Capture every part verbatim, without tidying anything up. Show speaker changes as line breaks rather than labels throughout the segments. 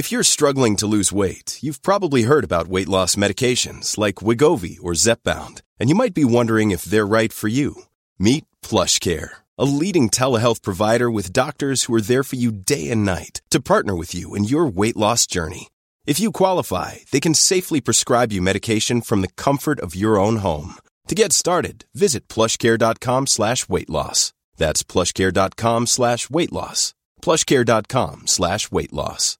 If you're struggling to lose weight, you've probably heard about weight loss medications like Wegovy or Zepbound, and you might be wondering if they're right for you. Meet PlushCare, a leading telehealth provider with doctors who are there for you day and night to partner with you in your weight loss journey. If you qualify, they can safely prescribe you medication from the comfort of your own home. To get started, visit plushcare.com slash weight loss. That's plushcare.com slash weight loss. plushcare.com slash weight loss.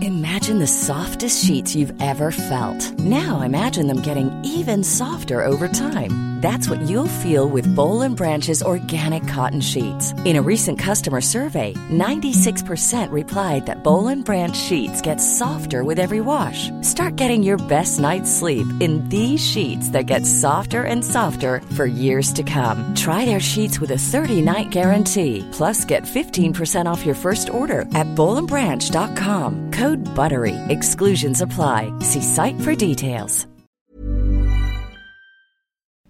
Imagine the softest sheets you've ever felt. Now imagine them getting even softer over time. That's what you'll feel with Boll and Branch's organic cotton sheets. In a recent customer survey, ninety-six percent replied that Boll and Branch sheets get softer with every wash. Start getting your best night's sleep in these sheets that get softer and softer for years to come. Try their sheets with a thirty-night guarantee. Plus, get fifteen percent off your first order at boll and branch dot com. Code BUTTERY. Exclusions apply. See site for details.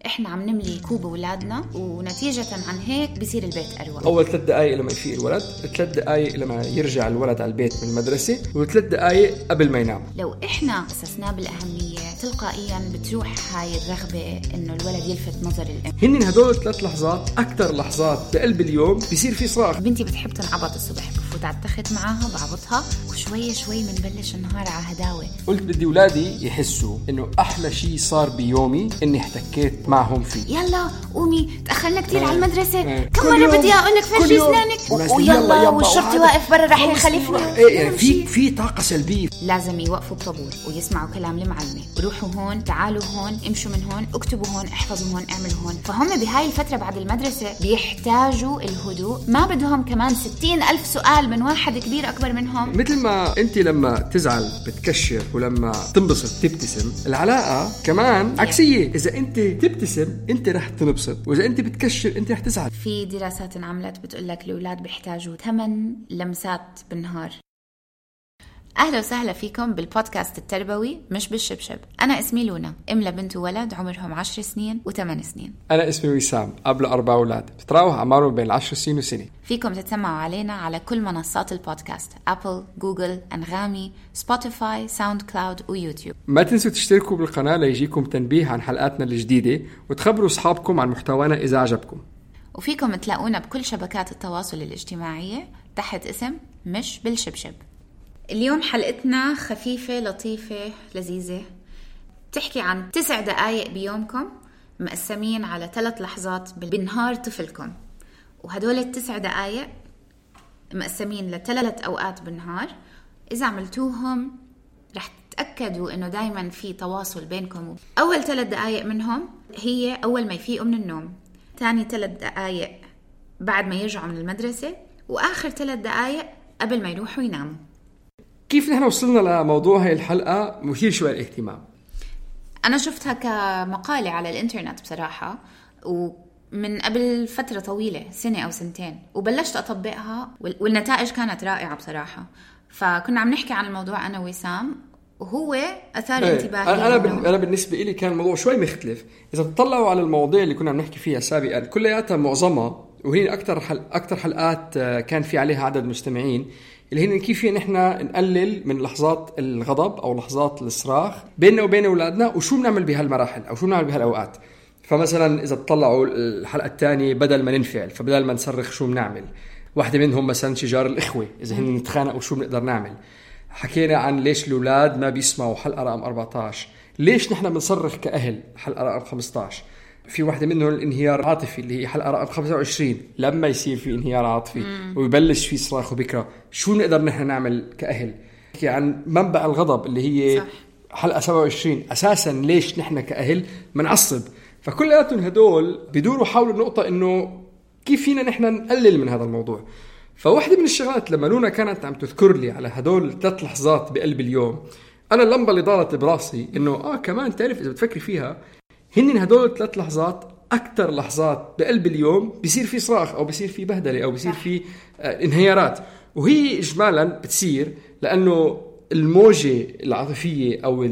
احنا عم نملي كوب اولادنا ونتيجة عن هيك بصير البيت اروق.
اول ثلاث دقائق لما يفيق الولد، ثلاث دقائق لما يرجع الولد على البيت من المدرسة، وثلاث دقائق قبل ما ينام.
لو احنا اسسناه بالاهمية تلقائيا بتروح هاي الرغبة انه الولد يلفت نظر الام.
هن هدول ثلاث لحظات اكثر لحظات بقلب اليوم بيصير في صراخ.
بنتي بتحب تنعبط الصبح، بفوت على التخت معاها بعبطها وشوية شوي منبلش النهار على هداوة.
قلت بدي اولادي يحسوا انه احلى شيء صار بيومي اني احتكيت معهم فيه.
يلا قومي تأخرنا كتير على المدرسة. كم مرة بدي أقول لك فرجي أسنانك ويلا والشرطي واقف برا رح يخلفنا.
إيه يعني في في طاقة سلبية.
لازم يوقفوا بطابور ويسمعوا كلام المعلمة. روحوا هون، تعالوا هون، امشوا من هون، اكتبوا هون، احفظوا هون، اعملوا هون. فهم بهاي الفترة بعد المدرسة بيحتاجوا الهدوء. ما بدهم كمان ستين ألف سؤال من واحد كبير أكبر منهم.
مثل ما أنت لما تزعل بتكشر ولما تنبسط تبتسم، العلاقة كمان عكسية. إذا أنت تبتسم أنت رح تنبسط، وإذا أنت بتكشر أنت رح تزعل.
في دراسات انعملت بتقولك الأولاد بيحتاجوا ثمان لمسات بالنهار. أهلا وسهلا فيكم بالبودكاست التربوي مش بالشبشب. أنا اسمي لونا، أم لبنت وولد عمرهم عشر سنين وثمان سنين.
أنا اسمي وسام، قبل أربع أولاد بتراوح أعمارهم بين العشر سنين وسنة.
فيكم تتسمعوا علينا على كل منصات البودكاست: أبل، جوجل، أنغامي، سبوتيفاي، ساوند كلاود ويوتيوب.
ما تنسوا تشتركوا بالقناة ليجيكم تنبيه عن حلقاتنا الجديدة، وتخبروا أصحابكم عن محتوانا إذا عجبكم.
وفيكم تلاقونا بكل شبكات التواصل الاجتماعية تحت اسم مش بالشبشب. اليوم حلقتنا خفيفة لطيفة لذيذة، تحكي عن تسع دقايق بيومكم مقسمين على ثلاث لحظات بنهار طفلكم، وهدول التسع دقايق مقسمين لثلاث أوقات بالنهار. إذا عملتوهم رح تتأكدوا إنه دايما في تواصل بينكم. أول ثلاث دقايق منهم هي أول ما يفيقوا من النوم، تاني ثلاث دقايق بعد ما يرجعوا من المدرسة، وآخر ثلاث دقايق قبل ما يروحوا يناموا.
كيف نحن وصلنا لموضوع هاي الحلقة مثير شوية الاهتمام؟
أنا شفتها كمقالة على الإنترنت بصراحة، ومن قبل فترة طويلة، سنة أو سنتين، وبلشت أطبقها والنتائج كانت رائعة بصراحة. فكنا عم نحكي عن الموضوع أنا وسام، وهو أثار
ايه.
انتباهي.
أنا, أنا, أنا بالنسبة لي كان الموضوع شوي مختلف. إذا تطلعوا على المواضيع اللي كنا عم نحكي فيها سابقا كلياتها معظمها، وهي أكتر, حل... أكتر حلقات كان في عليها عدد مستمعين، اللي هي كيف نحن نقلل من لحظات الغضب أو لحظات الصراخ بيننا وبين أولادنا، وشو بنعمل بهالمراحل أو شو بنعمل بهالأوقات. فمثلا إذا تطلعوا الحلقة الثانية بدل ما ننفعل، فبدل ما نصرخ شو بنعمل. واحدة منهم مثلا شجار الإخوة، إذا هن نتخانقوا شو بنقدر نعمل. حكينا عن ليش الأولاد ما بيسمعوا، حلقة رقم أربعة عشر. ليش نحن بنصرخ كأهل، حلقة رقم خمسة عشر. في واحدة منهم الانهيار العاطفي اللي هي حلقة رقم خمسة وعشرين، لما يصير في انهيار عاطفي مم. ويبلش في صراخ وبكرة شو نقدر نحن نعمل كأهل. حكي عن منبع الغضب اللي هي صح. حلقة سبعة وعشرين، أساسا ليش نحن كأهل منعصب. فكلياتهم هدول بيدوروا حول النقطة إنه كيف فينا نحن نقلل من هذا الموضوع. فواحدة من الشغلات لما لونا كانت عم تذكر لي على هدول ثلاث لحظات بقلب اليوم، أنا اللمبة اللي ضالت براسي إنه آه كمان تعرف إذا بتفكري فيها، هن هدول ثلاث لحظات أكتر لحظات بقلب اليوم بيصير في صراخ أو بيصير في بهدلة أو بيصير في آه انهيارات. وهي إجمالا بتصير لأنه الموجة العاطفية أو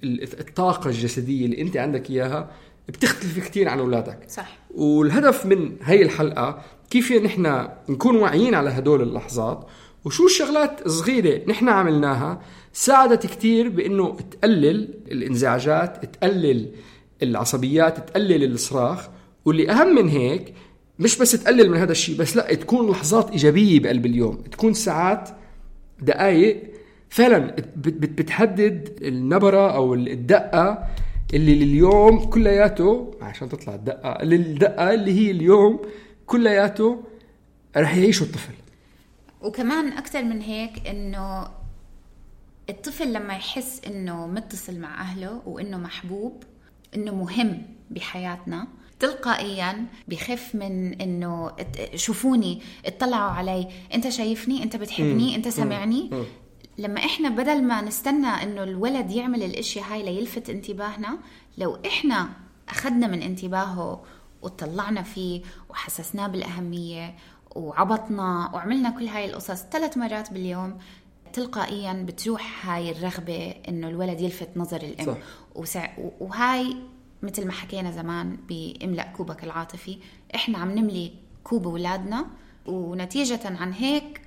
الطاقة الجسدية اللي أنت عندك إياها بتختلف كتير عن أولادك.
صح.
والهدف من هاي الحلقة كيف نحن نكون واعيين على هدول اللحظات، وشو الشغلات صغيرة نحن عملناها ساعدت كتير بأنه تقلل الانزعاجات، تقلل العصبيات، تقلل الصراخ. واللي أهم من هيك مش بس تقلل من هذا الشيء بس، لا تكون لحظات إيجابية بقلب اليوم، تكون ساعات دقائق فعلا بتحدد النبرة أو الدقة اللي لليوم كلياته، عشان تطلع الدقة اللي الدقة اللي هي اليوم كلياته رح يعيشوا الطفل.
وكمان أكتر من هيك إنه الطفل لما يحس إنه متصل مع أهله وإنه محبوب، إنه مهم بحياتنا، تلقائيا بخف من إنه شوفوني، اطلعوا علي، أنت شايفني، أنت بتحبني، أنت سمعني. لما إحنا بدل ما نستنى إنه الولد يعمل الأشياء هاي ليلفت انتباهنا، لو إحنا أخذنا من انتباهه وطلعنا فيه وحسسناه بالأهمية وعبطنا وعملنا كل هاي القصص ثلاث مرات باليوم، تلقائيا بتروح هاي الرغبة إنه الولد يلفت نظر الأم. صح. وسع... وهاي مثل ما حكينا زمان بإملأ كوبك العاطفي، إحنا عم نملي كوب أولادنا، ونتيجة عن هيك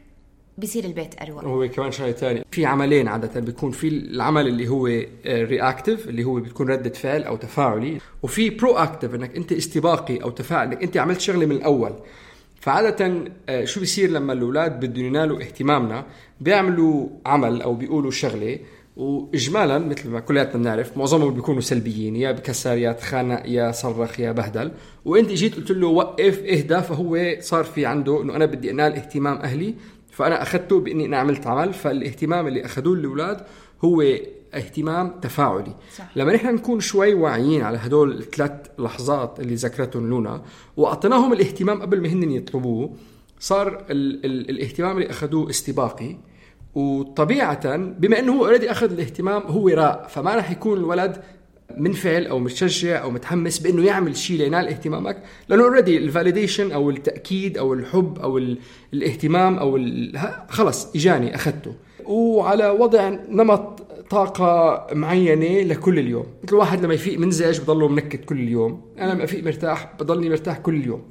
بيصير البيت أروع.
هو كمان شيء تاني، في عملين عادة بيكون في العمل اللي هو رياكتيف اللي هو بتكون ردة فعل أو تفاعلي، وفي برو أكتيف إنك أنت استباقي أو تفاعل، إنك أنت عملت شغلة من الأول. فعادة شو بيصير لما الأولاد بدهم ينالوا اهتمامنا، بيعملوا عمل أو بيقولوا شغلة، وإجمالا مثل ما كلياتنا بنعرف معظمهم بيكونوا سلبيين، يا بكسر يا تخانق يا صرخ يا بهدل، وانت جيت قلت له وقف اهدى، فهو صار في عنده انه انا بدي انال اهتمام اهلي، فانا اخذته باني انا عملت عمل. فالاهتمام اللي اخذوه الاولاد هو اهتمام تفاعلي. صح. لما نحن نكون شوي واعيين على هدول الثلاث لحظات اللي ذكرتهم لونا واعطيناهم الاهتمام قبل ما هن يطلبوه، صار ال- ال- الاهتمام اللي اخذوه استباقي. وطبيعة بما أنه هو أوريدي أخذ الاهتمام هو راء، فما رح يكون الولد منفعل أو متشجع أو متحمس بأنه يعمل شيء لينال اهتمامك، لأنه أوريدي الفاليديشن أو التأكيد أو الحب أو الاهتمام أو خلص إجاني أخذته. وعلى وضع نمط طاقة معينة لكل اليوم، مثل واحد لما يفيق منزعج بضله منكت كل اليوم، أنا لما أفيق مرتاح بضلني مرتاح كل اليوم.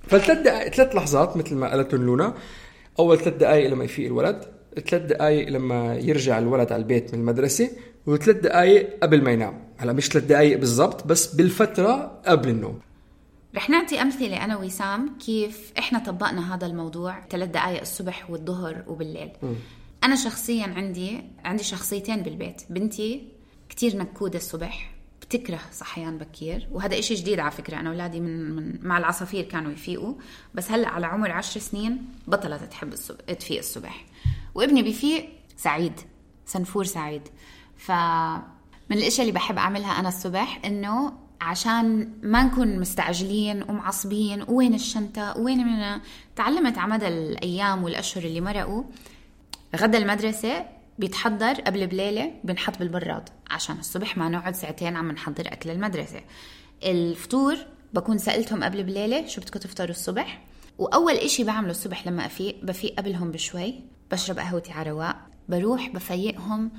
فالثلاث دقائق ثلاث لحظات مثل ما قالتهم لونا، أول ثلاث دقائق لما يفيق الولد، ثلاث دقائق لما يرجع الولد على البيت من المدرسة، وثلاث دقائق قبل ما ينام. هلا مش ثلاث دقائق بالضبط بس بالفترة قبل النوم.
رح نعطي أمثلة أنا وسام كيف إحنا طبقنا هذا الموضوع ثلاث دقائق الصبح والظهر وبالليل. م. أنا شخصيا عندي عندي شخصيتين بالبيت. بنتي كتير نكودة الصبح، بتكره صحيان بكير، وهذا إشي جديد على فكرة. أنا أولادي من, من مع العصافير كانوا يفيقوا، بس هلأ على عمر عشر سنين بطلت تحب الصبح تفيق الصبح. وابني بيفيق سعيد، سنفور سعيد. فمن الاشياء اللي بحب اعملها انا الصبح انه عشان ما نكون مستعجلين ومعصبين وين الشنطه وين من، تعلمت على مدى الايام والاشهر اللي مرقوا غدا المدرسه بيتحضر قبل بليله، بنحط بالبراد عشان الصبح ما نقعد ساعتين عم نحضر اكل المدرسه. الفطور بكون سألتهم قبل بليله شو بدكم تفطروا الصبح، واول اشي بعمله الصبح لما افيق بفيق قبلهم بشوي، بشرب قهوتي على رواق، بروح بفيقهم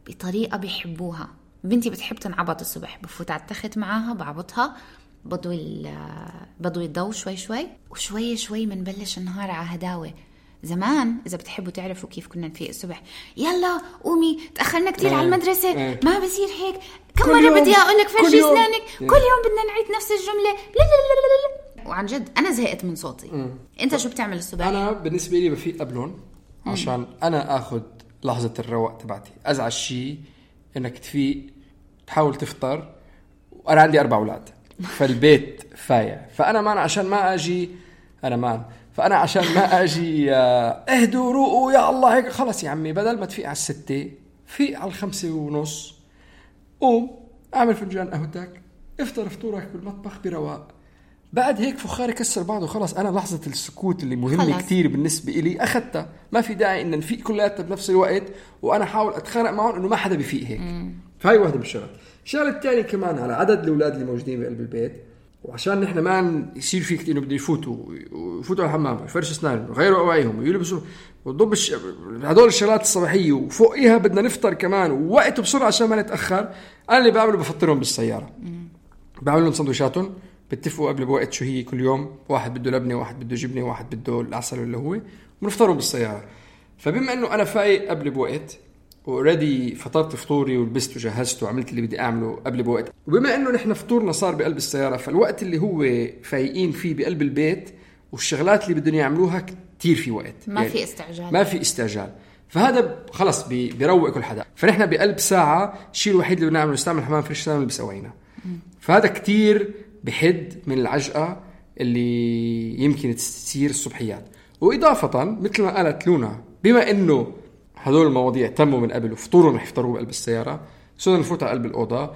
بطريقة بيحبوها. بنتي بتحب تنعبط الصبح، بفوت على التخت معاها بعبطها، بضوي بضوي الضوء شوي شوي، وشوي شوي منبلش النهار على هداوة. زمان إذا بتحبوا تعرفوا كيف كنا نفيق الصبح، يلا قومي تأخرنا كتير على المدرسة، ما بصير هيك، كم مرة بدي أقولك فرشي أسنانك، كل يوم بدنا نعيد نفس الجملة. لا لا لا لا. وعن جد أنا زهقت من صوتي. م. أنت شو بتعمل الصبح؟
أنا بالنسبة لي بفيق قبلهم عشان أنا أخذ لحظة الرواق تبعتي. أزعج شيء إنك تفيق تحاول تفطر، وأنا عندي أربع أولاد فالبيت فايع، فأنا مان عشان ما أجي أنا مان فأنا عشان ما أجي اهدوا روقوا يا الله هيك، خلص يا عمي بدل ما تفيق على الستة فيق على الخمسة ونص، قوم أعمل فنجان قهوتك، افطر فطورك بالمطبخ برواق. بعد هيك فخاري كسر بعضه، خلاص أنا لحظة السكوت اللي مهمة كتير بالنسبة إلي أخذتها. ما في داعي إن نفيق كلياتنا بنفس الوقت وأنا حاول أتخانق معهم إنه ما حدا بيفيق هيك. فهاي واحدة من الشغلات. الشغلة الثانية كمان على عدد الأولاد اللي موجودين بقلب البيت، وعشان نحن ما يصير فيك إنه بدي يفوتوا يفوتوا على الحمام ويفرشوا أسنانهم ويغيروا أواعيهم ويلبسوا وضب الش... هدول الشغلات الصباحية، وفوقيها بدنا نفطر كمان ووقته بسرعة عشان ما نتأخر. أنا اللي بعمله بفطرهم بالسيارة، بعمل لهم سندويشاتهم، بتفقوا قبل بوقت شو هي كل يوم، واحد بده لبنة واحد بده جبنة واحد بده العسل اللي هو، ونفطروا بالسيارة. فبما انه انا فايق قبل بوقت اوريدي فطرت فطوري ولبست وجهزت وعملت اللي بدي اعمله قبل بوقت، وبما انه نحن فطورنا صار بقلب السياره، فالوقت اللي هو فايقين فيه بقلب البيت والشغلات اللي بدهم يعملوها كتير في وقت،
ما يعني في استعجال
ما في استعجال. فهذا خلص بي بيروق كل حدا. فنحن بقلب ساعه الشيء الوحيد اللي بنعمله نستعمل حمام فريش نلبس أوينا. فهذا كتير بحد من العجقه اللي يمكن تصير الصبحيات. واضافه مثل ما قالت لونا، بما انه هذول المواضيع تموا من قبل وفطورهم رح يفطروا بقلب السياره، صرنا نفوت على قلب الاوضه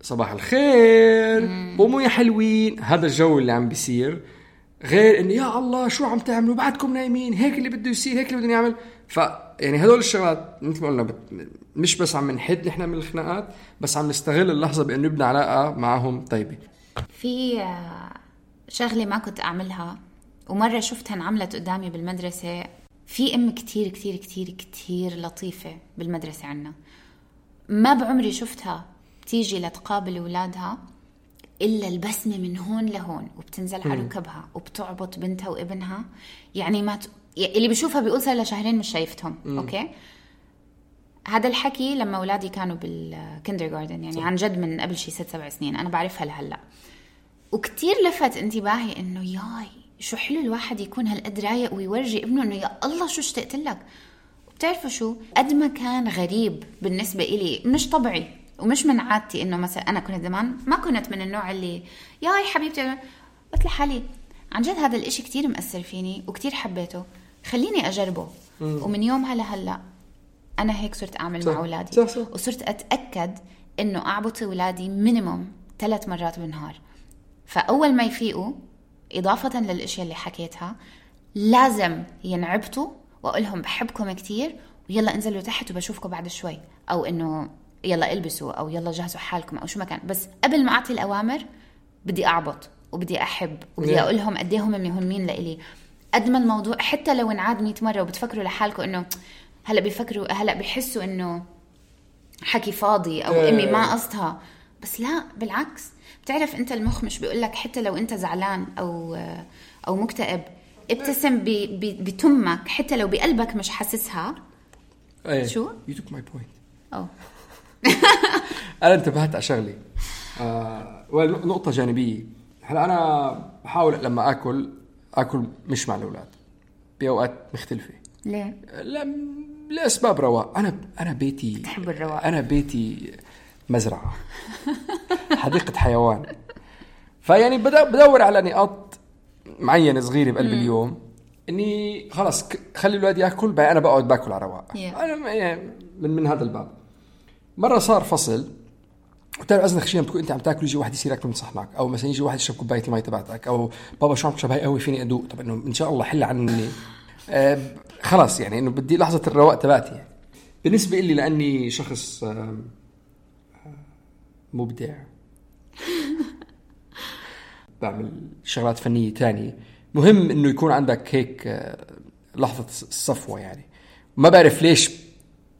صباح الخير قوموا يا حلوين، هذا الجو اللي عم بيصير. غير انه يا الله شو عم تعملوا بعدكم نايمين، هيك اللي بده يصير، هيك اللي بدنا نعمل. ف يعني هذول الشغلات مثل ما قلنا بت... مش بس عم نحد نحن من الخناقات، بس عم نستغل اللحظه بانه نبني علاقه معهم طيبه.
في شغله ما كنت اعملها ومره شفتها انعملت قدامي بالمدرسه. في ام كتير كتير كتير كتير لطيفه بالمدرسه عنا، ما بعمري شفتها تيجي لتقابل اولادها إلا البسمة من هون لهون، وبتنزل على ركبها وبتعبط بنتها وابنها. يعني ما ت... اللي بيشوفها بيقول صار له شهرين مش شايفتهم. مم. أوكي، هذا الحكي لما أولادي كانوا بالكندرغاردن، يعني عن جد من قبل شي ست سبع سنين، أنا بعرفها لهلا. وكتير لفت انتباهي إنه ياي شو حلو الواحد يكون هالقد رايق ويورجي ابنه إنه يا الله شو اشتقت لك. وبتعرفوا شو قد ما كان غريب بالنسبة إلي، مش طبيعي ومش من عادتي، انه مثلا انا كنت زمان ما كنت من النوع اللي ياي حبيبتي، قلت لحالي عن جد هذا الاشي كتير مأثر فيني وكتير حبيته، خليني اجربه. مم. ومن يومها لهلا انا هيك صرت اعمل صح. مع اولادي صح صح. وصرت اتاكد انه اعبط اولادي مينيموم ثلاث مرات بالنهار. فاول ما يفيقوا اضافه للاشياء اللي حكيتها لازم ينعبطوا واقول لهم بحبكم كتير ويلا انزلوا تحت وبشوفكم بعد شوي، او انه يلا البسوا او يلا جهزوا حالكم او شو ما كان. بس قبل ما اعطي الاوامر بدي اعبط وبدي احب وبدي اقول لهم قد ايه هم مهمين لإلي. قد ما الموضوع حتى لو انعاد مية مره وبتفكروا لحالكم انه هلا بيفكروا هلا بيحسوا انه حكي فاضي او امي ما قصدها، بس لا بالعكس. بتعرف انت المخ مش بيقول لك حتى لو انت زعلان او او مكتئب ابتسم بتمك حتى لو بقلبك مش حاسسها.
أيه.
شو
you took my point.
أو
أنا انتبهت على شغلي آه، ونقطة جانبية. هلا أنا بحاول لما أكل أكل مش مع الأولاد بأوقات مختلفة.
ليه؟
لا لأسباب رواق. أنا أنا بيتي
تحب الرواق.
أنا بيتي مزرعة حديقة حيوان. فيعني بدور على نقاط معينة صغيرة بقلب مم. اليوم إني خلاص خلي الأولاد يأكل بقى أنا بقعد باكل على رواق.
yeah.
أنا يعني من من هذا الباب. مرة صار فصل وتعرف أزنخ شيء بتكون أنت عم تاكل يجي واحد يصير ياكل من صحنك، أو مثلا يجي واحد يشرب كوباية الماء تبعتك، أو بابا شو عم تشرب هاي قهوة فيني أدوق. طب إنه إن شاء الله حل عني آه خلاص يعني إنه بدي لحظة الرواق تبعتي. يعني بالنسبة إلي لأني شخص آه مبدع بعمل شغلات فنية تانية، مهم إنه يكون عندك هيك آه لحظة الصفوة. يعني ما بعرف ليش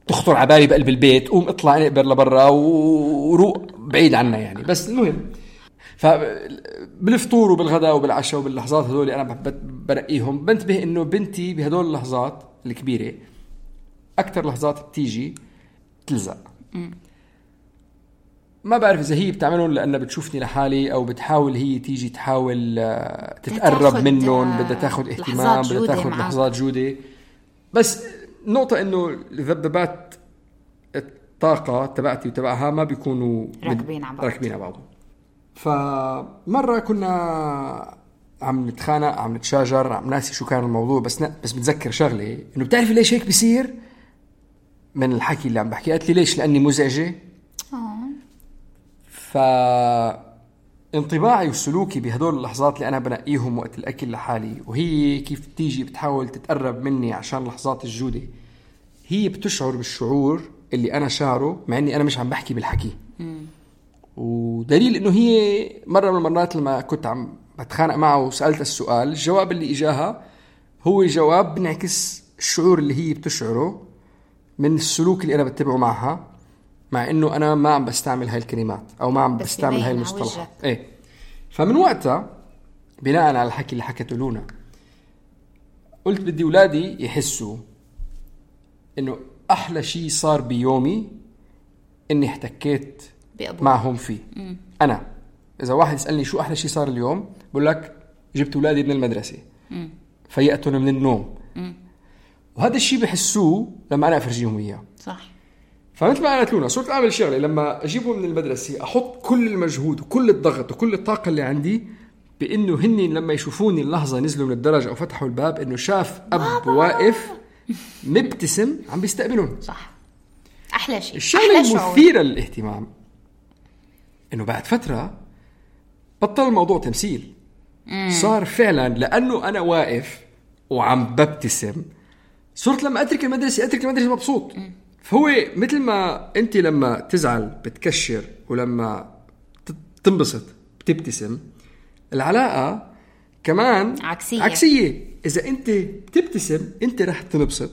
تخطر على بالي بقلب البيت قوم اطلع نقبر لبرا وروق بعيد عنا يعني. بس المهم فبالفطور وبالغداء وبالعشاء وباللحظات هذول انا برقيهم بنتبه انه بنتي بهدول اللحظات الكبيره اكثر لحظات بتيجي تلزق. ما بعرف اذا هي بتعملهم لانها بتشوفني لحالي او بتحاول هي تيجي تحاول تتقرب منهم، بدها تاخذ اهتمام، بدها تاخذ لحظات جوده. بس نقطة إنه ذبذبات الطاقة تبعتي وتبعها ما بيكونوا
راكبين على بعض
راكبين على بعض. فمرة كنا عم نتخانق عم نتشاجر عم ناسي شو كان الموضوع، بس ن... بس بتذكر شغلة إنه بتعرفي ليش هيك بيصير من الحكي اللي عم بحكي. قالت لي ليش؟ لأني مزعجة. فانطباعي وسلوكي بهدول اللحظات اللي أنا بنقيهم وقت الأكل لحالي، وهي كيف تيجي بتحاول تتقرب مني عشان لحظات الجودة، هي بتشعر بالشعور اللي أنا شعره مع أني أنا مش عم بحكي بالحكي. مم. ودليل أنه هي مرة من المرات لما كنت عم بتخانق معه وسألت السؤال، الجواب اللي إجاها هو جواب بنعكس الشعور اللي هي بتشعره من السلوك اللي أنا بتبعه معها، مع أنه أنا ما عم بستعمل هاي الكلمات أو ما عم بستعمل هاي المصطلحات. إيه. فمن وقتها بناء على الحكي اللي حكته لونا قلت بدي أولادي يحسوا إنه أحلى شيء صار بيومي إني احتكيت
بأبوه.
معهم فيه. مم. أنا إذا واحد يسألني شو أحلى شيء صار اليوم بقول لك جبت أولادي من المدرسة، مم. فيأتون من النوم، مم. وهذا الشيء بحسوه لما أنا أفرجيهم إياه.
صح.
فمثل ما قالت لونا صرت أعمل شغلة لما أجيبهم من المدرسة أحط كل المجهود وكل الضغط وكل الطاقة اللي عندي بإنه هني لما يشوفوني اللحظة نزلوا من الدرجة أو فتحوا الباب إنه شاف أب واقف مبتسم عم بيستقبلون.
صح. أحلى شيء.
الشغلة المثيرة للاهتمام إنه بعد فترة بطل الموضوع تمثيل. مم. صار فعلا لأنه أنا واقف وعم ببتسم صرت لما أترك المدرسة أترك المدرسة مبسوط. مم. فهو مثل ما أنت لما تزعل بتكشر ولما تنبسط بتبتسم، العلاقة كمان
عكسية.
عكسية. إذا أنت بتبتسم أنت رح تنبسط،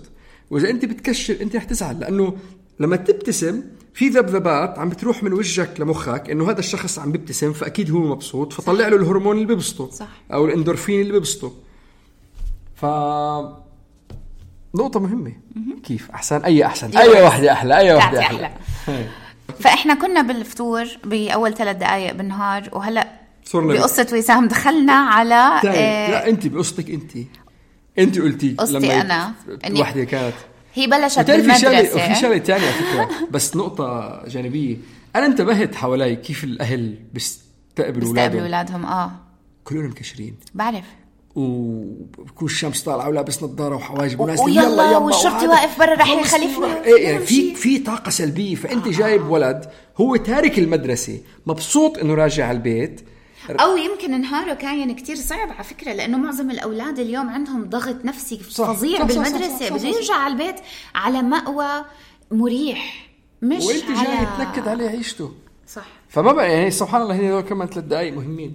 وإذا أنت بتكشر أنت رح تزعل، لأنه لما تبتسم في ذبذبات عم بتروح من وجهك لمخك إنه هذا الشخص عم بيبتسم فأكيد هو مبسوط، فطلع له الهرمون اللي بيبسطه.
صح. أو
الإندورفين اللي بيبسطه. ف نقطة مهمة. م-م. كيف أحسن أي أحسن أي واحدة أحلى أي واحدة أحلى, أحلى.
فإحنا كنا بالفطور بأول ثلاث دقائق بالنهار، وهلأ بقصة وسام دخلنا على
آه لا أنت بقصتك أنت أنت قلتي
قصتي أنا
واحدة كانت
هي بلشت بالمدرسة.
وفي شغلة تانية فكرة بس نقطة جانبية. أنا انتبهت حوالي كيف الأهل بيستقبلوا أولادهم
أولادهم آه
كلهم مكشرين.
بعرف.
وبكون الشمس طالعه ولابس نظاره وحواجب
وناس يلا يلا والشرطي واقف برا رح يخلفني.
ايه يعني في في طاقه سلبيه. فانت آه. جايب ولد هو تارك المدرسه مبسوط انه راجع على البيت،
او يمكن نهاره كان كتير صعب على فكره، لانه معظم الاولاد اليوم عندهم ضغط نفسي فظيع صح بالمدرسه، بده يرجع على البيت على مأوى مريح مش
وانت
على
جاي تنكد عليه عيشته.
صح.
فما بقى يعني سبحان الله هنا كمان ثلاث دقائق مهمين.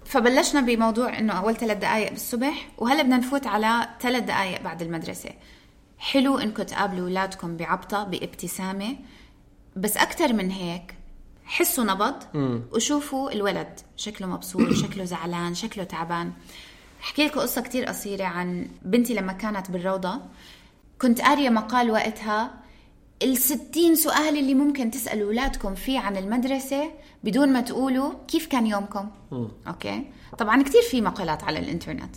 فبلشنا بموضوع إنه أول ثلاث دقائق بالصبح، وهلا بدنا نفوت على ثلاث دقائق بعد المدرسة. حلو إنكم تقابلوا أولادكم بعبطة بابتسامة، بس أكتر من هيك حسوا نبض وشوفوا الولد شكله مبسوط شكله زعلان شكله تعبان. أحكي لكم قصة كتير قصيرة عن بنتي لما كانت بالروضة. كنت قارية مقال وقتها الستين سؤال اللي ممكن تسألوا أولادكم فيه عن المدرسة بدون ما تقولوا كيف كان يومكم. م. أوكي. طبعا كتير في مقالات على الإنترنت.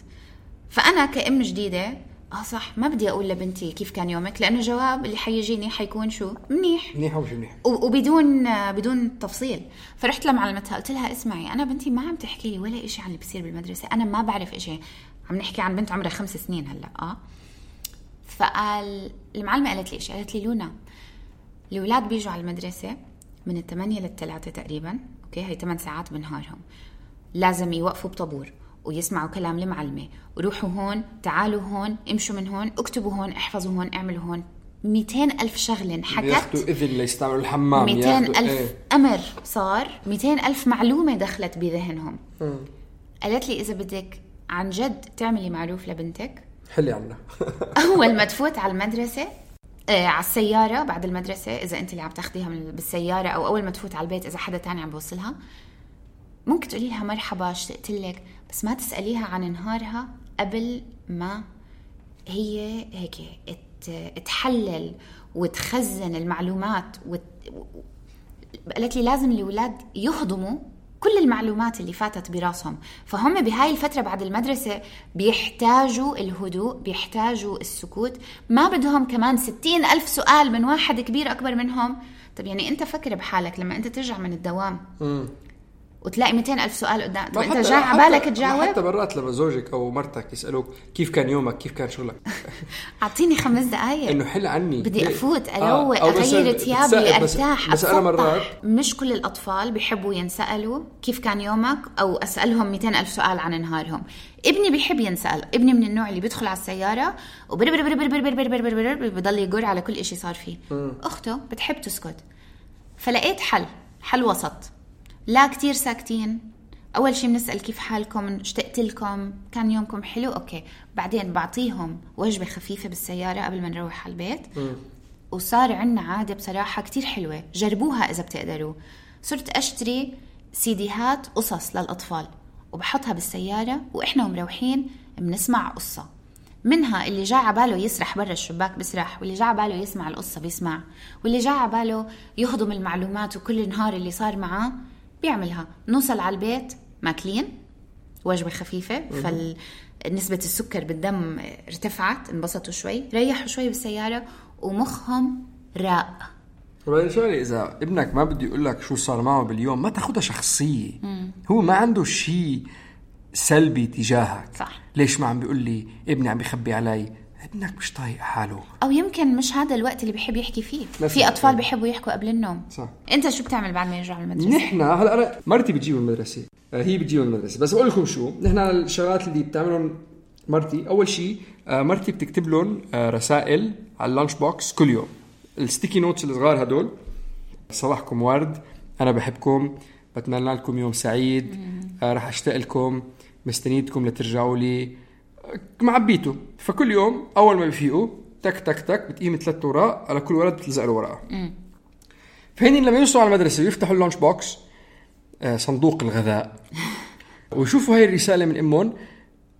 فأنا كأم جديدة آه صح ما بدي أقول لبنتي كيف كان يومك، لأنه جواب اللي حيجيني حيكون شو منيح
منيح ومش منيح
وبدون بدون تفصيل. فرحت لمعلمتها قلت لها اسمعي أنا بنتي ما عم تحكي لي ولا إشي عن اللي بيصير بالمدرسة، أنا ما بعرف إشي. عم نحكي عن بنت عمرها خمس سنين هلأ. آه فقال المعلمة قالت لي إيش؟ قالت لي لونا الأولاد بيجوا على المدرسة من الثمانية للثلاثة تقريبا، أوكي هاي ثمان ساعات بنهارهم، لازم يوقفوا بطابور ويسمعوا كلام المعلمة وروحوا هون تعالوا هون امشوا من هون اكتبوا هون احفظوا هون اعملوا هون. مئتين ألف شغلة حكت،
ياخدوا إذن ليستعملوا الحمام،
مئتين ألف ايه. أمر صار، مئتين ألف معلومة دخلت بذهنهم. م. قالت لي إذا بدك عن جد تعملي معروف لبنتك
حلي عنا
أول ما تفوت على المدرسة آه على السيارة بعد المدرسة، إذا أنت اللي عم تاخديها بالسيارة أو أول ما تفوت على البيت إذا حدا تاني عم بوصلها، ممكن تقولي لها مرحبا اشتقت لك، بس ما تسأليها عن نهارها قبل ما هي هيك تحلل وتخزن المعلومات وت... قالت لي لازم الأولاد يهضموا كل المعلومات اللي فاتت براسهم. فهم بهاي الفترة بعد المدرسة بيحتاجوا الهدوء، بيحتاجوا السكوت، ما بدهم كمان ستين ألف سؤال من واحد كبير أكبر منهم. طب يعني أنت فكر بحالك لما أنت ترجع من الدوام م. وتلاقي مئتين ألف سؤال قدام وأنت جاي عبالك تجاوب.
حتى برات لما زوجك أو مرتك يسألوك كيف كان يومك كيف كان شغلك
أعطيني خمس دقايق
إنه حل عني
بدي أفوت أروق آه. أغير ثيابي أرتاح
بس أنا مرات
مش كل الأطفال بيحبوا ينسألوا كيف كان يومك أو أسألهم مئتين ألف سؤال عن نهارهم. ابني بيحب ينسأل، ابني من النوع اللي بيدخل على السيارة وبيضل يقول على كل إشي صار فيه. م. أخته بتحب تسكت، فلقيت حل حل وسط، لا كتير ساكتين. أول شي بنسأل كيف حالكم، اشتقت لكم، كان يومكم حلو، أوكي. بعدين بعطيهم وجبة خفيفة بالسيارة قبل ما نروح على البيت. م. وصار عنا عادة بصراحة كتير حلوة، جربوها إذا بتقدروا. صرت أشتري سيديهات قصص للأطفال وبحطها بالسيارة وإحنا ومروحين بنسمع قصة منها اللي جاء عباله يسرح برا الشباك بسرح، واللي جاء عباله يسمع القصة بيسمع، واللي جاء عباله يهضم المعلومات وكل نهار اللي صار معاه بيعملها. نوصل على البيت ماكلين وجبة خفيفة، فنسبة السكر بالدم ارتفعت، انبسطوا شوي، ريحوا شوي بالسيارة ومخهم راق.
وبعدين شوي إذا ابنك ما بدي يقول لك شو صار معه باليوم ما تاخدها شخصية. هو ما عنده شيء سلبي تجاهك.
صح.
ليش ما عم بيقول لي ابني عم بيخبي علي؟ ابنك مش طايق حاله،
او يمكن مش هذا الوقت اللي بيحب يحكي فيه. في اطفال بيحبوا يحكوا قبل النوم.
صح.
انت شو بتعمل بعد ما يرجعوا المدرسه؟
نحن هلا انا مرتي بتجيب المدرسه، هي بتجيب المدرسه، بس اقول لكم شو نحن الشغلات اللي بتعملهم مرتي. اول شيء مرتي بتكتب لهم رسائل على اللانش بوكس كل يوم، الستيكي نوتس الصغار هدول: صباحكم ورد، انا بحبكم، بتمنى لكم يوم سعيد، راح اشتاق لكم، مستنيتكم لترجعوا لي، معبيته. فكل يوم اول ما بيفيقوا تك تك تك بتقيم ثلاث اوراق على كل ولد بتلزق له ورقه. فهني لما يوصلوا على المدرسه يفتحوا اللانش بوكس، صندوق الغذاء، ويشوفوا هاي الرساله من امهم،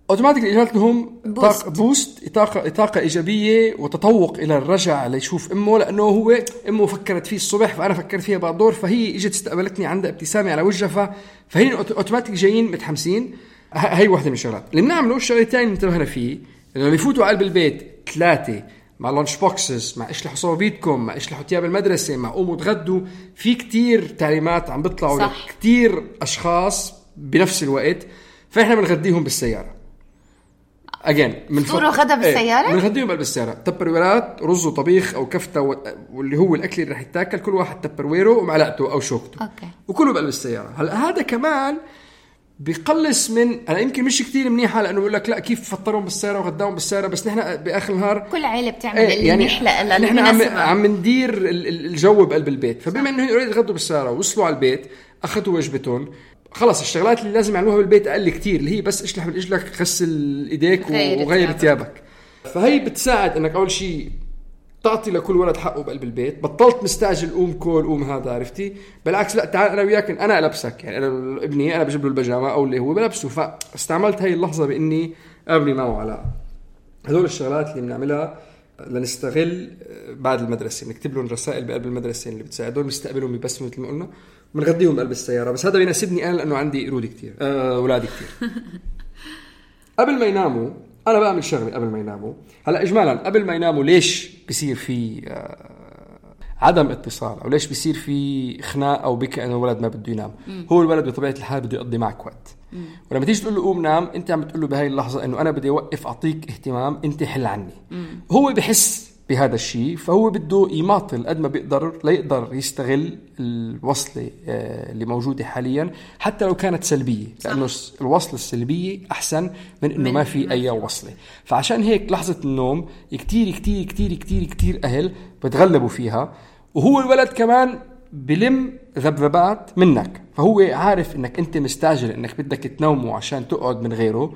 اوتوماتيك اجت لهم بوست, بوست طاقه طاقه ايجابيه وتطوق الى الرجع ليشوف امه، لانه هو امه فكرت فيه الصبح فانا فكرت فيها بعد دور، فهي اجت استقبلتني عندها ابتسامه على وجهها، فهي اوتوماتيك جايين متحمسين. هاي واحدة من الشغلات اللي بنعمله. الشغلة الثانية اللي انتبهنا فيه لما يفوتوا على قلب البيت ثلاثة مع لانش بوكسز، مع اشلحوا صوابيتكم، مع اشلحوا تياب المدرسة، مع قوموا تغدوا، في كتير تعليمات عم بيطلعوا لكتير أشخاص بنفس الوقت، فإحنا بنغديهم بالسيارة. أجين من
فطور وغدا بالسيارة؟
بنغديهم بالسيارة، تبرويرات رز وطبيخ أو كفتة و... واللي هو الأكل اللي رح يتاكل، كل واحد تبرويره ومعلقته أو شوكته.
أوكي.
وكله بقلب السيارة. هلا هذا كمان بيقلص من أنا يمكن مش كتير منيحة، لأنه بيقول لك لا كيف فطرهم بالسيارة وغداهم بالسيارة، بس نحن بآخر النهار
كل عائلة بتعمل
ايه
اللي
يعني
نحلق لأ
نحن عم عم ندير الجو بقلب البيت. فبما إنه يريد يغدوا بالسيارة ووصلوا على البيت أخذوا وجبتهم، خلاص الشغلات اللي لازم يعملوها بالبيت أقل كتير، اللي هي بس اشلح بالإجلك، غسل إيديك وغير ثيابك. فهي بتساعد إنك أول شيء تعطي لكل ولد حقه بقلب البيت، بطلت مستعجل قوم كول قوم هذا، عرفتي؟ بالعكس لا تعال انا وياك انا البسك، يعني انا ابني انا بجيب له البيجامه او اللي هو بلبسه. فاستعملت هاي اللحظه باني ابني معه علاقه. هذول الشغلات اللي بنعملها لنستغل بعد المدرسه، نكتب لهم رسائل بقلب المدرسه اللي بتساعدهم، نستقبلهم بيبسموا مثل ما قلنا، وبنغديهم بقلب السياره. بس هذا بيناسبني انا لانه عندي قرود كتير، أه اولادي كتير. قبل ما يناموا أنا بعمل شغلة قبل ما يناموا. هلأ إجمالا قبل ما يناموا ليش بيصير في عدم اتصال أو ليش بيصير في خناق أو بكى أنه الولد ما بده ينام؟ مم. هو الولد بطبيعة الحال بده يقضي معك وقت. مم. ولما تيجي تقول له قوم نام، أنت عم بتقول له بهاي اللحظة أنه أنا بدي أوقف أعطيك اهتمام، أنت حل عني. مم. هو بحس بهذا الشيء، فهو بده يماطل قد ما بيقدر ليقدر يستغل الوصلة اللي موجودة حاليا حتى لو كانت سلبية، لأنه الوصلة السلبية أحسن من إنه ما في أي وصلة. فعشان هيك لحظة النوم كتير كتير كتير كتير كتير أهل بتغلبوا فيها، وهو الولد كمان بلم ذبذبات منك، فهو عارف إنك أنت مستعجل إنك بدك تنومه عشان تقعد من غيره،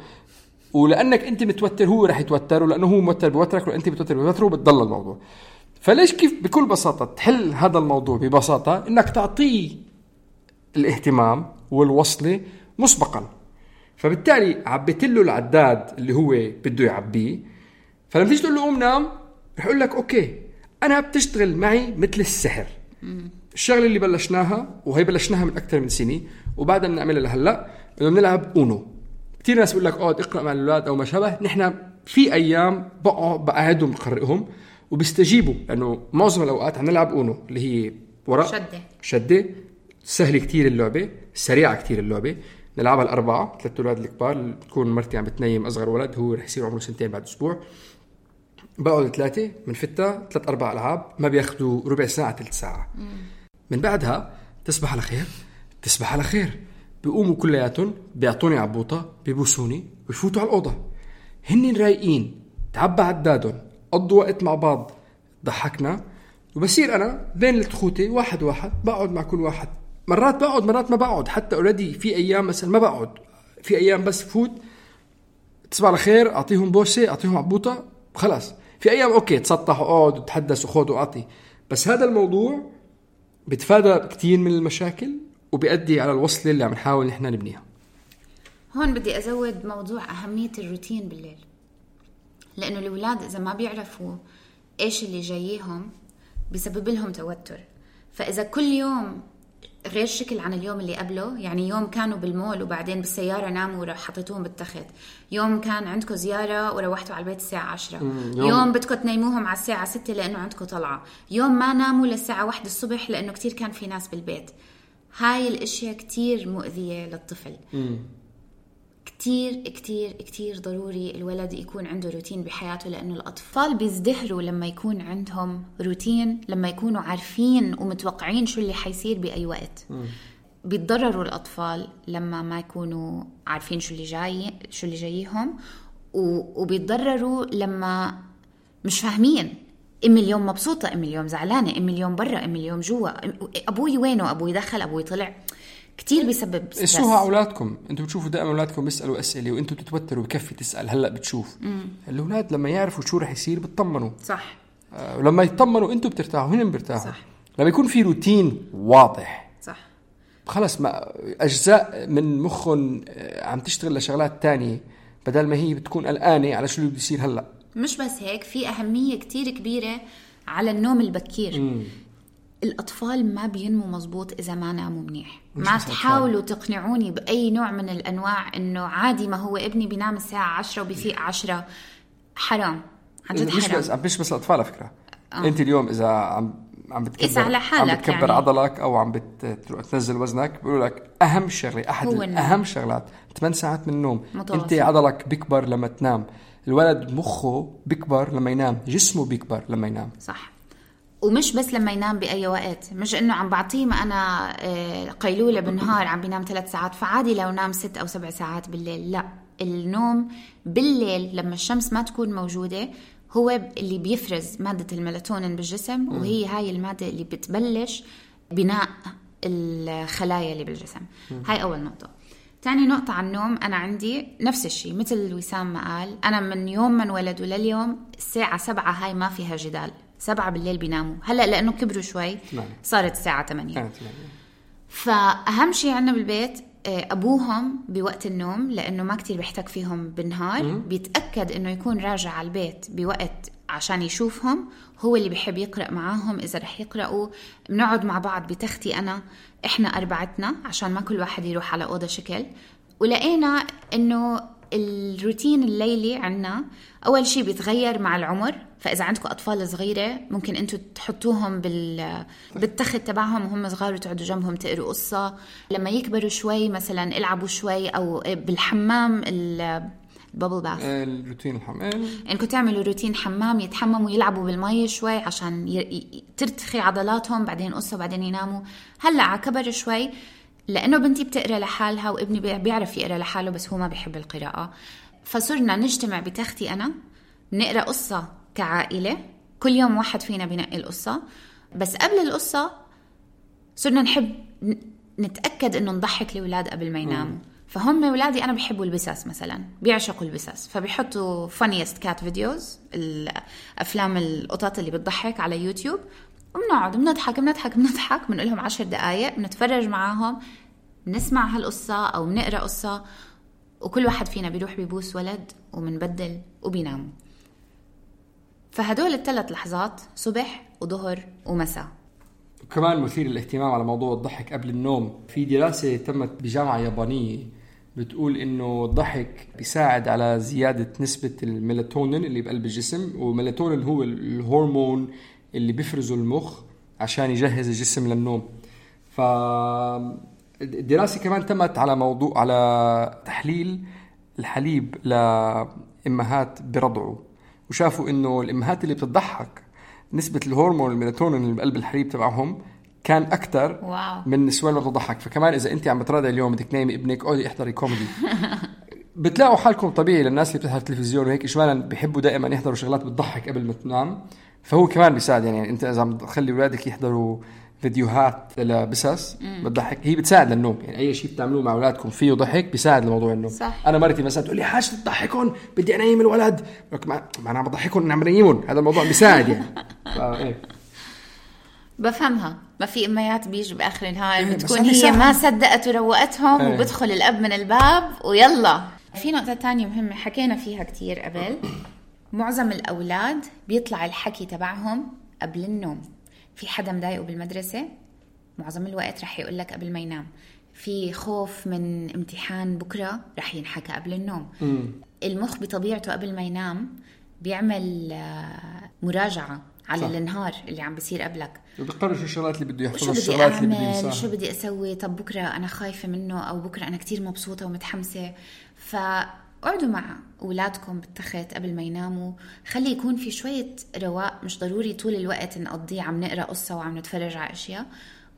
ولأنك أنت متوتر هو رح يتوتر، ولأنه هو موتر بوترك، وأنت بتوتر بوتره، وبتضل الموضوع. فليش كيف بكل بساطة تحل هذا الموضوع ببساطة؟ إنك تعطيه الاهتمام والوصلة مسبقا. فبالتالي عبيت له العداد اللي هو بده يعبيه، فلما تيجي تقول له قوم نام رح يقول لك أوكي أنا بتشتغل معي مثل السحر. الشغلة اللي بلشناها وهي بلشناها من أكثر من سنة وبعدها بنعملها لهلا، إنه بنلعب أونو. كتير ناس بيقول لك اقعد اقرأ مع الأولاد أو ما شابه. نحن في أيام بقعد بقعدهم بقرئهم وبيستجيبوا، لأنه معظم الأوقات عم نلعب أونو اللي هي ورق
شدة
شدة سهل كتير اللعبة، سريعة كتير اللعبة. نلعبها الأربعة، ثلاث أولاد الكبار، تكون مرتي عم بتنيم أصغر ولد هو رح يصير عمره سنتين بعد أسبوع. بقعد ثلاثة من فتة ثلاث أربع ألعاب ما بياخدوا ربع ساعة ثلث ساعة. مم. من بعدها تصبح على خير تصبح على خير بيقوموا كلياتهم بيعطوني عبوطة بيبوسوني ويفوتوا على الأوضة، هنن رايقين، تعبى عدادهم، قضوا وقت مع بعض، ضحكنا. وبصير أنا بين التخوتي واحد واحد بقعد مع كل واحد، مرات بقعد مرات ما بقعد، حتى أوريدي في أيام مثلا ما بقعد، في أيام بس فوت تصبح على خير أعطيهم بوسة أعطيهم عبوطة خلاص. في أيام أوكي تسطح وقعد وتحدث وخذ وأعطي. بس هذا الموضوع بتفادى كتير من المشاكل وبيؤدي على الوصلة اللي عم نحاول نحن نبنيها.
هون بدي أزود موضوع أهمية الروتين بالليل. لأنه الأولاد إذا ما بيعرفوا إيش اللي جاييهم بيسبب لهم توتر. فإذا كل يوم غير شكل عن اليوم اللي قبله، يعني يوم كانوا بالمول وبعدين بالسيارة ناموا وحطيتوهم بالتخت، يوم كان عندكم زيارة وروحتوا على البيت الساعة عشرة، يوم, يوم بدكم تنيموهم على الساعة ستة لأنه عندكم طلعة، يوم ما ناموا للساعة واحدة الصبح لأنه كتير كان في ناس بالبيت. هاي الاشياء كتير مؤذية للطفل. مم. كتير كتير كتير ضروري الولد يكون عنده روتين بحياته، لأنه الأطفال بيزدهروا لما يكون عندهم روتين، لما يكونوا عارفين ومتوقعين شو اللي حيصير بأي وقت. م. بيتضرروا الأطفال لما ما يكونوا عارفين شو اللي جاي شو اللي جايهم، وبيتضرروا لما مش فاهمين. أمي اليوم مبسوطة، أمي اليوم زعلانة، أمي اليوم برا، أمي اليوم جوا، أبوي وينه، أبوي دخل، أبوي طلع. كتير بيسبب ستريس. اسوها أولادكم، أنتوا بتشوفوا دائما أولادكم بيسألوا أسئلة وأنتوا تتوتروا بكفي تسأل. هلأ بتشوف مم. الأولاد لما يعرفوا شو رح يصير بتطمنوا. صح. آه ولما يطمنوا أنتوا بترتاحوا، هن بيرتاحوا. صح. لما يكون في روتين واضح. صح. خلص ما أجزاء من مخهم عم تشتغل لشغلات تانية بدل ما هي بتكون قلقانة على شو اللي بيصير هلأ. مش بس هيك، في أهمية كتير كبيرة على النوم البكير. مم. الأطفال ما بينمو مزبوط إذا ما ناموا منيح. ما تحاولوا تقنعوني بأي نوع من الأنواع إنه عادي ما هو ابني بينام الساعة عشرة وبيفيق عشرة. حرام، عن جد حرام. مش بس مش بس الأطفال على فكرة. آه. أنت اليوم إذا عم عم بتكبر عم بتكبر يعني. عضلك أو عم بتنزل وزنك، بيقولوا لك أهم شغلة أحد أهم شغلات ثمان ساعات من النوم. متواصل. أنت عضلك بيكبر لما تنام، الولد مخه بيكبر لما ينام، جسمه بيكبر لما ينام. صح. ومش بس لما ينام بأي وقت، مش إنه عم بعطيه ما أنا قيلولة بالنهار عم بينام ثلاث ساعات فعادي لو نام ست أو سبع ساعات بالليل. لا، النوم بالليل لما الشمس ما تكون موجودة هو اللي بيفرز مادة الميلاتونين بالجسم، وهي هاي المادة اللي بتبلش بناء الخلايا اللي بالجسم. هاي أول نقطة. تاني نقطة عن النوم، أنا عندي نفس الشيء مثل وسام ما قال، أنا من يوم من ولدوا لليوم الساعة سبعة هاي ما فيها جدال، سبعة بالليل بيناموا. هلأ لأنه كبروا شوي صارت الساعة ثمانية. فأهم شيء عنا بالبيت أبوهم بوقت النوم، لأنه ما كتير بيحتاج فيهم بالنهار، بيتأكد أنه يكون راجع على البيت بوقت عشان يشوفهم. هو اللي بيحب يقرأ معاهم، إذا رح يقرأوا بنقعد مع بعض بتختي أنا، إحنا أربعتنا عشان ما كل واحد يروح على أوضة شكل. ولقينا أنه الروتين الليلي عنا أول شيء بيتغير مع العمر. فإذا عندكم أطفال صغيرة ممكن أنتوا تحطوهم بال بالتخت تبعهم وهم صغار وتقعدوا جنبهم تقروا قصة. لما يكبروا شوي مثلا العبوا شوي، أو بالحمام البابل باث، الروتين الحمام، إنكم تعملوا روتين حمام، يتحمموا يلعبوا بالماء شوي عشان ي... ترتخي عضلاتهم، بعدين قصة بعدين يناموا. هلأ على كبر شوي، لأنه بنتي بتقرأ لحالها وابني بيعرف يقرأ لحاله بس هو ما بيحب القراءة، فصرنا نجتمع بتختي أنا نقرأ قصة كعائلة، كل يوم واحد فينا بينقي القصة. بس قبل القصة صرنا نحب نتأكد إنه نضحك الأولاد قبل ما يناموا. فهم أولادي أنا بحبوا البساس مثلا، بيعشقوا البساس، فبيحطوا funniest cat videos، الأفلام القطط اللي بتضحك على يوتيوب، وبنقعد بنضحك بنضحك بنضحك بنقول لهم عشر دقايق، بنتفرج معاهم، نسمع هالقصة أو بنقرأ قصة، وكل واحد فينا بيروح بيبوس ولد ومنبدل وبيناموا. فهدول الثلاث لحظات صبح وظهر ومساء.
كمان مثير الاهتمام على موضوع الضحك قبل النوم، في دراسة تمت بجامعة يابانية بتقول إنه الضحك بيساعد على زيادة نسبة الميلاتونين اللي بقلب الجسم، والميلاتونين هو الهرمون اللي بيفرزه المخ عشان يجهز الجسم للنوم. فالدراسة كمان تمت على موضوع على تحليل الحليب لأمهات برضعوا، وشافوا إنه الأمهات اللي بتضحك نسبة الهرمون الميلاتونين اللي بقلب الحليب تبعهم كان أكتر واو. من النسوان اللي بتضحك. فكمان إذا أنت عم بتراضي اليوم بدك نايمي ابنك أو احضري كوميدي بتلاقوا حالكم طبيعي. للناس اللي بتحضر تلفزيون وهيك إشمالا بيحبوا دائما يحضروا شغلات بتضحك قبل ما تنام، فهو كمان بيساعد. يعني أنت إذا عم تخلي أولادك يحضروا فيديوهات لبسس بتضحك، هي بتساعد للنوم. يعني أي شيء بتعملوه مع أولادكم فيه ضحك بيساعد لموضوع النوم. صح. أنا مرتي مثلا تقول لي حاجة تضحكون بدي أنيم الولد، ما أنا عم بضحكون عم بنيمون، هذا الموضوع بيساعد يعني. إيه.
بفهمها. ما في أميات بيجوا بآخر النهار إيه بتكون هي سهل. ما صدقت وروقتهم إيه. وبدخل الأب من الباب ويلا. في نقطة تانية مهمة حكينا فيها كتير قبل، معظم الأولاد بيطلع الحكي تبعهم قبل النوم. في حدا مضايقه بالمدرسة معظم الوقت رح يقولك قبل ما ينام. في خوف من امتحان بكرة رح ينحكى قبل النوم. م. المخ بطبيعته قبل ما ينام بيعمل مراجعة على صح. النهار اللي عم بيصير قبلك،
وبيقرر شو الشغلات اللي بده يحفظها، الشغلات اللي بده ينساها،
شو بدي أسوي، طب بكرة أنا خايفة منه أو بكرة أنا كتير مبسوطة ومتحمسة. فقعدوا مع أولادكم بالتخت قبل ما يناموا، خلي يكون في شوية رواق، مش ضروري طول الوقت نقضيه عم نقرأ قصة وعم نتفرج على أشياء.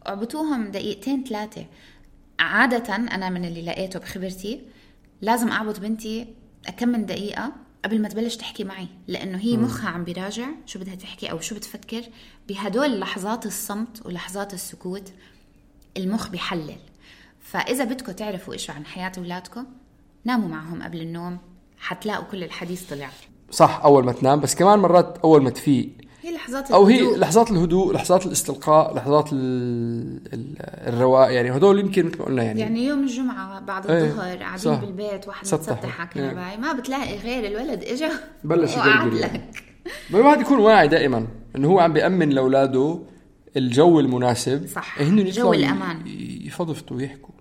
اعبطوهم دقيقتين ثلاثة. عادة أنا من اللي لقيته بخبرتي لازم أعبط بنتي كم من دقيقة قبل ما تبلش تحكي معي، لأنه هي مخها عم بيراجع شو بدها تحكي أو شو بتفكر. بهدول لحظات الصمت ولحظات السكوت المخ بيحلل. فإذا بدكم تعرفوا إيش عن حياة أولادكم ناموا معهم قبل النوم، حتلاقوا كل الحديث طلع
صح أول ما تنام. بس كمان مرات أول ما تفيق
هي لحظات
أو
الهدوء.
هي لحظات الهدوء، لحظات الاستلقاء، لحظات الرواء. يعني هدول يمكن مثل ما قلنا يعني
يعني يوم الجمعة بعد الظهر قاعدين بالبيت واحد متسطح على كنباي ما بتلاقي غير الولد إجا
بلش
وقعد لك.
الواحد يكون واعي دائما إنه هو عم بيأمن لأولاده الجو المناسب،
صح،
جو
الأمان،
يفضفتوا ويحكوا.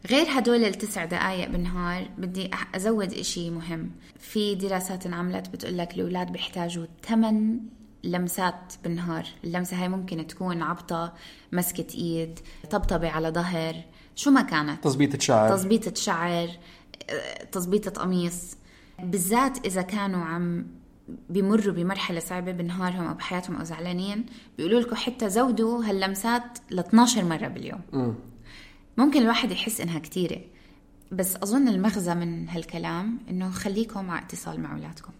غير هدول التسع دقايق بالنهار بدي أزود إشي مهم. في دراسات انعملت بتقولك الأولاد بيحتاجوا ثمان لمسات بالنهار. اللمسة هاي ممكن تكون عبطة، مسكة إيد، طبطبة على ظهر، شو ما كانت،
تظبيطة شعر
تظبيطة شعر تظبيطة قميص. بالذات إذا كانوا عم بيمروا بمرحلة صعبة بنهارهم أو بحياتهم أو زعلانين، بيقولوا لكم حتى زودوا هاللمسات ل اثناشر مرة باليوم. م. ممكن الواحد يحس إنها كتيرة، بس أظن المغزى من هالكلام إنه خليكم مع اتصال مع أولادكم.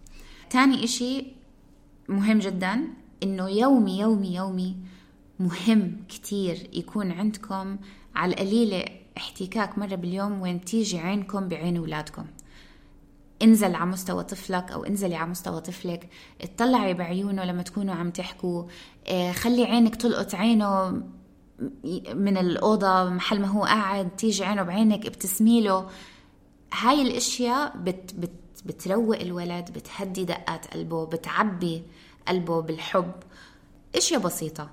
تاني إشي مهم جدا إنه يومي يومي يومي مهم كتير يكون عندكم على القليلة احتكاك مرة باليوم وين تيجي عينكم بعين أولادكم. انزل على مستوى طفلك أو انزلي على مستوى طفلك، اطلعي بعيونه لما تكونوا عم تحكوا، خلي عينك تلقط عينه من الأوضة محل ما هو قاعد، تيجي عينه بعينك ابتسميله. هاي الاشياء بت بت بتروق الولد، بتهدي دقات قلبه، بتعبي قلبه بالحب. اشياء بسيطة.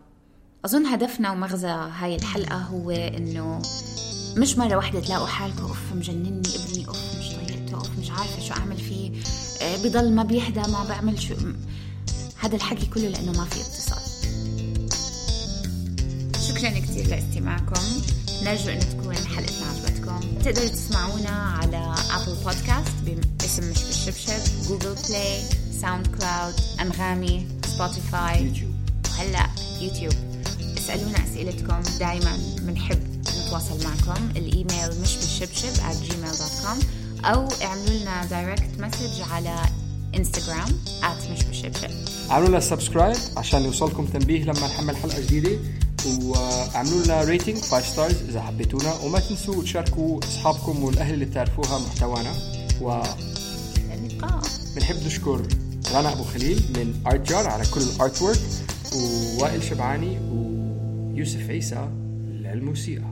اظن هدفنا ومغزى هاي الحلقة هو انه مش مرة واحدة تلاقوا حالكم اوف مجنني ابني، اوف مش طيقته، اوف مش عارفة شو اعمل فيه، بضل ما بيهدى، ما بعمل شو. هذا الحكي كله لانه ما في اتصال. شكرا كتير لاستماعكم، نرجو أن تكون حلقتنا عجبتكم. تقدروا تسمعونا على أبل بودكاست باسم مش بالشبشب، جوجل بلاي، ساوند كلاود، أنغامي، سبوتيفاي، وهلأ يوتيوب. اسألونا أسئلتكم، دايما منحب نتواصل معكم. الإيميل مش بالشبشب at gmail dot com أو اعملوا لنا دايركت مسج على انستغرام at مش بالشبشب.
عملوا لنا سبسكرايب عشان يوصلكم تنبيه لما نحمل حلقة جديدة، وعملوا لنا ريتنج خمسة ستارز إذا حبيتونا، وما تنسوا تشاركوا أصحابكم والأهل اللي تعرفوها محتوانا. و بنحب نشكر رنا أبو خليل من آرت جار على كل الآرت وورك، ووائل شبعاني ويوسف عيسى للموسيقى.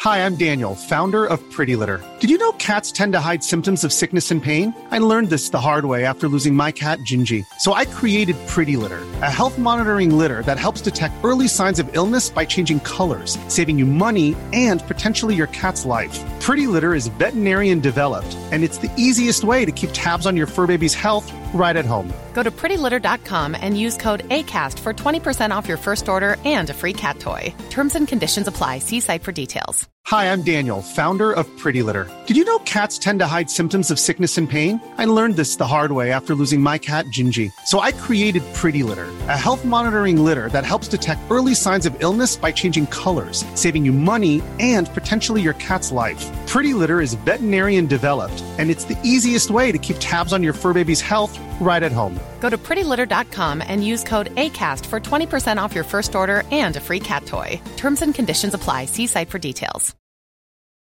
Hi, I'm Daniel, founder of Pretty Litter. Did you know cats tend to hide symptoms of sickness and pain? I learned this the hard way after losing my cat, Gingy. So I created Pretty Litter, a health monitoring litter that helps detect early signs of illness by changing colors, saving you money and potentially your cat's life. Pretty Litter is veterinarian developed, and it's the easiest way to keep tabs on your fur baby's health right at home.
Go to pretty litter dot com and use code ACAST for twenty percent off your first order and a free cat toy. Terms and conditions apply. See site for details.
Hi, I'm Daniel, founder of Pretty Litter. Did you know cats tend to hide symptoms of sickness and pain? I learned this the hard way after losing my cat, Gingy. So I created Pretty Litter, a health monitoring litter that helps detect early signs of illness by changing colors, saving you money and potentially your cat's life. Pretty Litter is veterinarian developed, and it's the easiest way to keep tabs on your fur baby's health right at home.
Go to pretty litter dot com and use code ACAST for twenty percent off your first order and a free cat toy. Terms and conditions apply. See site for details.